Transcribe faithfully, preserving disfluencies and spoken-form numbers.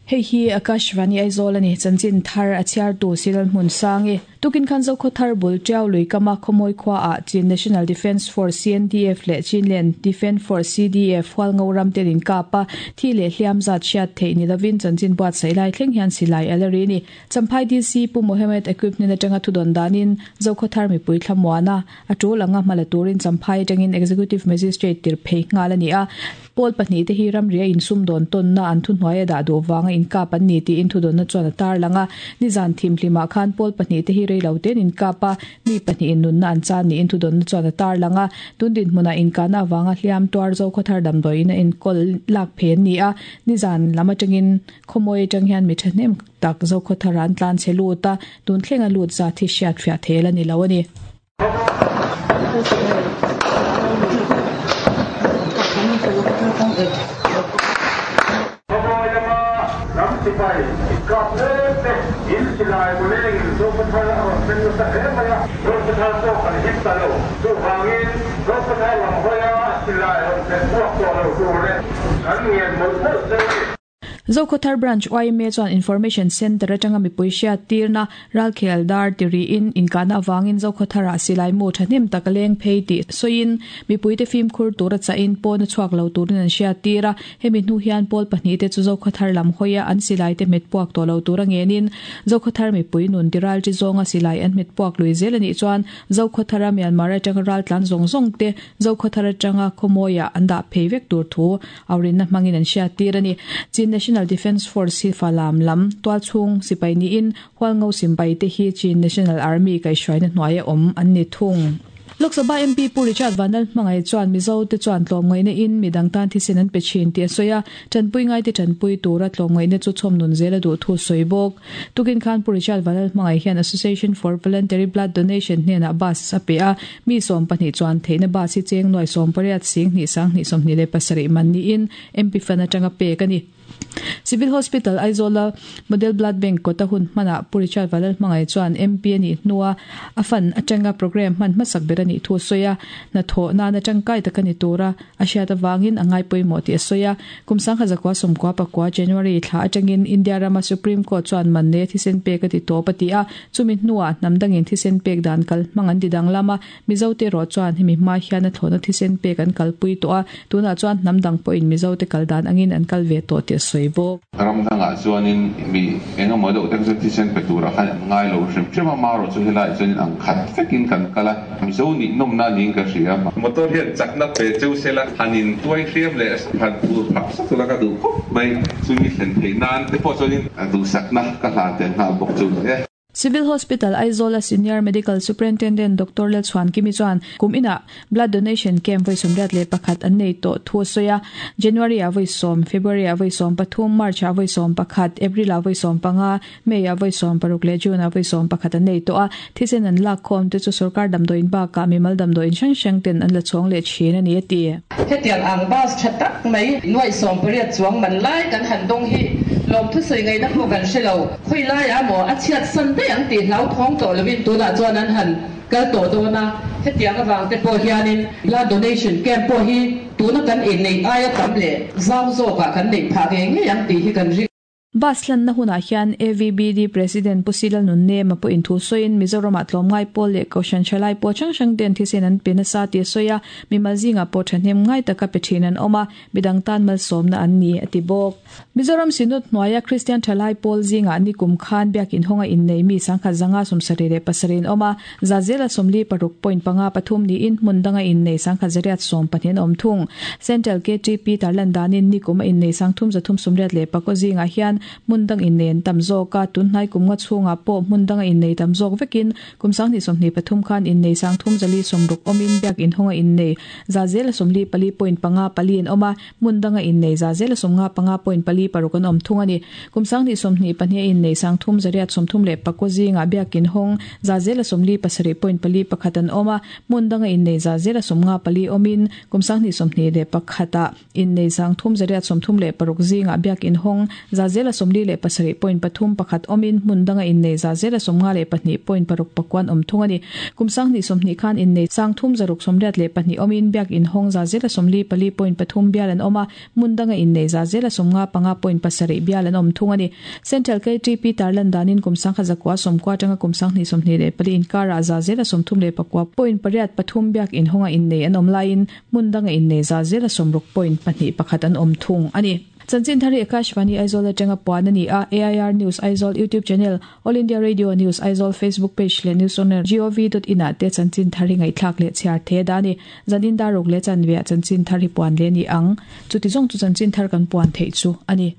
Hei hi Akashvani Aizawl ani chanchin thar a chhiar tu Silal Hmun Sangi tukin khan Zokhawthar bul Tiau lui kama Khawmawi khua ah Chin National Defence Force C N D F leh Chinland Defence Force C D F Hualngo ram ten in kap a thi leh hliam zat hriat theih ni lovin chanchin buatsaih lai thleng hian silai a la ri ni Champhai D C Pu Mohammed Equipment atanga thudawn danin Zokhawthar mipui thlamuana a tul anga hmala turin Champhai atangin Executive Magistrate tir phei nghal ani a Pawl pahnih te hi ramria insum dawn tawnna an thu hnuai a dah duh vanga inkap an ni tiin thudawnna chuan a tar lang a nizan thim hlimah khan pawl pahnih te hi rei lo ten inkap a mi pahnih in nunna an chan niin thudawnna chuan a tar lang a tundin hmunah inkahna avanga hliam tuar Zokhawthar damdawiin a enkawl lak phe an ni a nizan lam atangin khawmawi atang hian mi thahnem tak Zokhawthar an tlan che lut a tun thleng a lut zat hi hriat fiah thel a ni lo a ni. Zokhawthar Branch Y M A chuan Information Centre atanga mipui hriat tirna Ralkhel dar tiriin inkahna awangin Zokhawthar ah silai mu thahnem tak a leng phei tih sawiin mipui te fimkhur tur a chahin pawn a chhuak lo turin an hriat tir a hemi hnu hian pawl pahnih te chu Zokhawthar lam hawia an silai te hmet puak tawh lo tur a ngenin Zokhawthar mipui nun tiral chi zawnga silai an hmet puak lui zel anih chuan Zokhawthar a Myanmar atanga ral tlan zawng zawng te Zokhawthar atanga khawmawiah an dah phei vek tur thu aurinna hmangin an hriat tir ani Chin National Defence Force hi falam lam tual chung sipai niin Hualngo simpai te hi Chin National Army kaihhruaina hnuai a awm an ni thung. Lok Sabha M P Pu Richard Vanlal hmangai chuan Mizo te chuan tlawmngaihna in midang tan thisen an pe thin tih a sawi a tanpui ngai te tanpui tura tlawmngaihna chu chhawm nun zel a duh thu sawi bawk. Tukin khan Pu Richard Vanlal hmangai hian Association for Voluntary Blood Donation hnenah bus a pe a mi sawm pahnih chuan theihna bus hi cheng nuai sawm pariat sing hnih sang hnih sawmhnih leh pasarih man niin M P fan atanga pek a ni. Civil Hospital Aizawl Model Blood Bank kawta hun hmanah Pu Richard Vanlal hmangai chuan M P ani hnua a fan atanga program hman hmasak ber ani thu sawi a hnathawh nan atangkai tak ani tura a hriat awangin a ngai pawimawh tih a sawi a kum sangha zakua sawmkua pakua January thla atangin India rama Supreme Court chuan man ne thisen pek a ti tawp a ti a chumi hnuah hnam dangin thisen pek dan kal hmang an ti dang lama Mizo te rawh chuan hemi hma hian a thlawhna thisen pek an kalpui tawh a tunah chuan hnam dang pawhin Mizo te kal dan angin an kal ve tawh tih a sawi bawk. Ramdangah chuanin mi engemaw deuh te chu thisen pe tura khan an ngai lo hrim hrim a ma rawh chu helai chuanin ang khat vekin kan kal a Mizo nih nawmna niin ka hria motor hian chakna pe cheu sela hanin tuai hriam leh han tur phak sak tura ka duh khawp mai chumi thlen theih nan te pawh chuanin a duhsakna ka hlan tel nghal bawk chu ni e. Civil Hospital Aizawl a Senior Medical Superintendent Doctor Lalchhuan Kimi chuan kum inah blood donation camp voi sawmriat leh pakhat an nei tawh thu a sawi a January ah voi sawm February ah voi sawm pathum March ah voi sawm pakhat April ah voi sawm panga May ah voi sawm paruk leh June ah voi sawm pakhat an nei tawh a thisen an lak khawm te chu sarkar damdawiin bakah mimal damdawiin hrang hrang ten an la chhawng leh thin ani a ti. Hetiang ang bus tha tak mai nuai sawm pariat chuang man lai kan han dawng hi lawm thu sawi ngaihna pawh kan hre lo khawi lai a maw a chhiat san daih ang tih hlau thawng tawh lovin tunah chuan an han kal tawh dawn a hetiang awang te pawh hianin blood donation camp pawh hi tuna kan inneih aia tam leh zau zawkah kan neih phah ngei ngei ang tih hi kan ring. Bus hlanna hunah hian A V B D President Pu Silal Nunnem a pawh in thu sawiin Mizoramah tlawmngai pawl leh Kohhran Thalai pawh hrang hrang ten thisen an pe nasa tih a sawi a mimal zingah pawh thahnem ngai taka pe thin an awm a midang tan malsawmna an ni a ti bawk. Mizoram Synod hnuaia Christian Thalai pawl zingah ni kum khan biakin hawnga innei mi sangkhat zanga sawmsarih leh pasarih an awm a zazela sawmli paruk point panga pathum niin hmun danga innei sangkhat zariat sawm pahnih an awm thung. Central K T P tarlan danin ni kum a innei sangthum zathum sawmriat leh pakaw zingah hian hmun dang innei an tam zawk a tunhnai kum nga chhungah pawh hmun danga innei tam zawk vekin kum sanghnih sawmhnih pathum khan innei sangthum zali sawmruk awmin biakin hawnga innei zazela sawmli pali point panga pali an awm a hmun danga innei zazela sawmnga panga point pali paruk an awm thung ani kum sanghnih sawmhnih pahnih a innei sangthum zariat sawmthum leh pakaw zingah biakin hawng zazela sawmli pasarih point pali pakhat an awm a hmun danga innei zazela sawmnga pali awmin kum sanghnih sawmhnih leh pakhatah innei sangthum zariat sawmthum leh paruk zingah biakin hawng zazela zela somli le pasari point pathum pakhat omin hmun danga in nei za zela somnga le pahnih point paruk pakwan om thung ani. Kumsang ni somni khan in nei sang thum zaruk somriat le pahnih omin biak in hong za zela somli pali point pathum bial an oma mundanga in nei za zela somnga panga point pasari bial an om thung ani. Central K T P tarlan danin kumsang kha zakwa somkwa tanga kumsang ni somni le pali in kara za zela somthum le pakwa point pariat pathum biak in honga in nei an om lain mundanga in nei za zela somruk point pahnih pakhat an om thung ani. Chanchin thari Akashvani Aizawl atanga puan ani a A I R News Aizawl YouTube channel, All India Radio News Aizawl Facebook page le news on gov dot in a te chanchin thari ngai thlak le chhiar the dani zanin darok le chanvia chanchin thari puan le ni ang chuti jong chu chanchin thar kan puan thei chu ani.